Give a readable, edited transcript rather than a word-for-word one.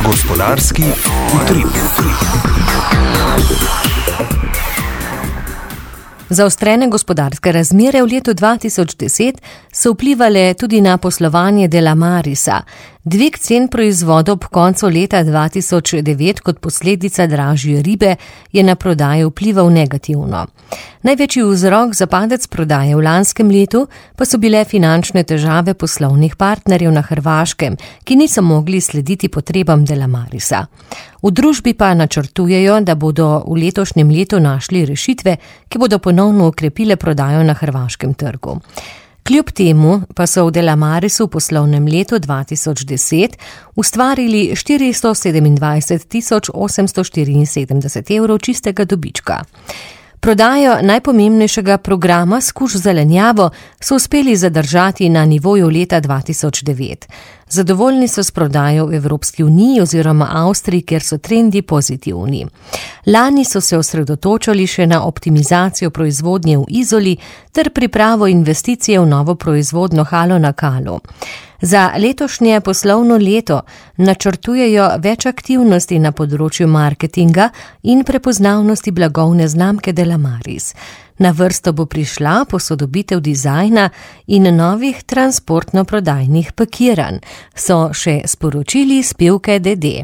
Gospodarski utrip. Zaostrene gospodarske razmere v letu 2010 so vplivale tudi na poslovanje Delamarisa. Dvig cen proizvodov ob koncu leta 2009 kot posledica dražje ribe je na prodajo vplival negativno. Največji vzrok za padec prodaje v lanskem letu pa so bile finančne težave poslovnih partnerjev na Hrvaškem, ki niso mogli slediti potrebam Delamarisa. V družbi pa načrtujejo, da bodo v letošnjem letu našli rešitve, ki bodo ponovno okrepile prodajo na hrvaškem trgu. Kljub temu pa so v Delamarisu v poslovnem letu 2010 ustvarili 427.874 evrov čistega dobička. Prodajo najpomembnejšega programa Skuš zelenjavo so uspeli zadržati na nivoju leta 2009. Zadovoljni so s prodajo v Evropski uniji oziroma Avstriji, kjer so trendi pozitivni. Lani so se osredotočali še na optimizacijo proizvodnje v Izoli ter pripravo investicije v novo proizvodno halo na Kalu. Za letošnje poslovno leto načrtujejo več aktivnosti na področju marketinga in prepoznavnosti blagovne znamke Delamaris. Na vrsto bo prišla posodobitev dizajna in novih transportno-prodajnih pakiranj, so še sporočili s Pivke DD.